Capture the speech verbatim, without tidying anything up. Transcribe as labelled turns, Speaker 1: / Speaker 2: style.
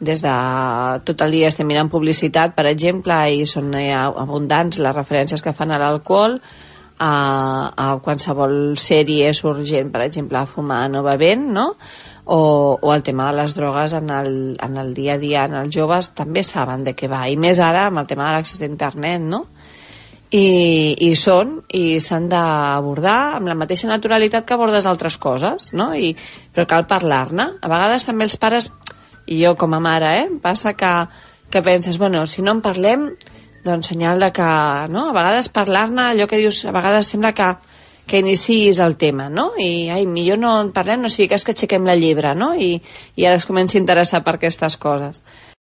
Speaker 1: des de tot el dia estem mirant publicitat, per exemple, i són eh, abundants les referències que fan a l'alcohol, a, a qualsevol sèrie surt gent, per exemple, fumant o bevent, no? O, o el tema de les drogues en el, en el dia a dia, en els joves també saben de què va, i més ara amb el tema de l'accés d'internet, no? I, i són, i s'han d'abordar amb la mateixa naturalitat que abordes altres coses, no? I, però cal parlar-ne. A vegades també els pares, i jo com a mare, eh, passa que, que penses, bueno, si no en parlem, doncs senyal de que, no? A vegades parlar-ne, allò que dius, a vegades sembla que, que iniciïs el tema, no? I, ai, millor no en parlem, no sigui que és que aixequem la llebre, no? I, i ara es comença a interessar per aquestes coses.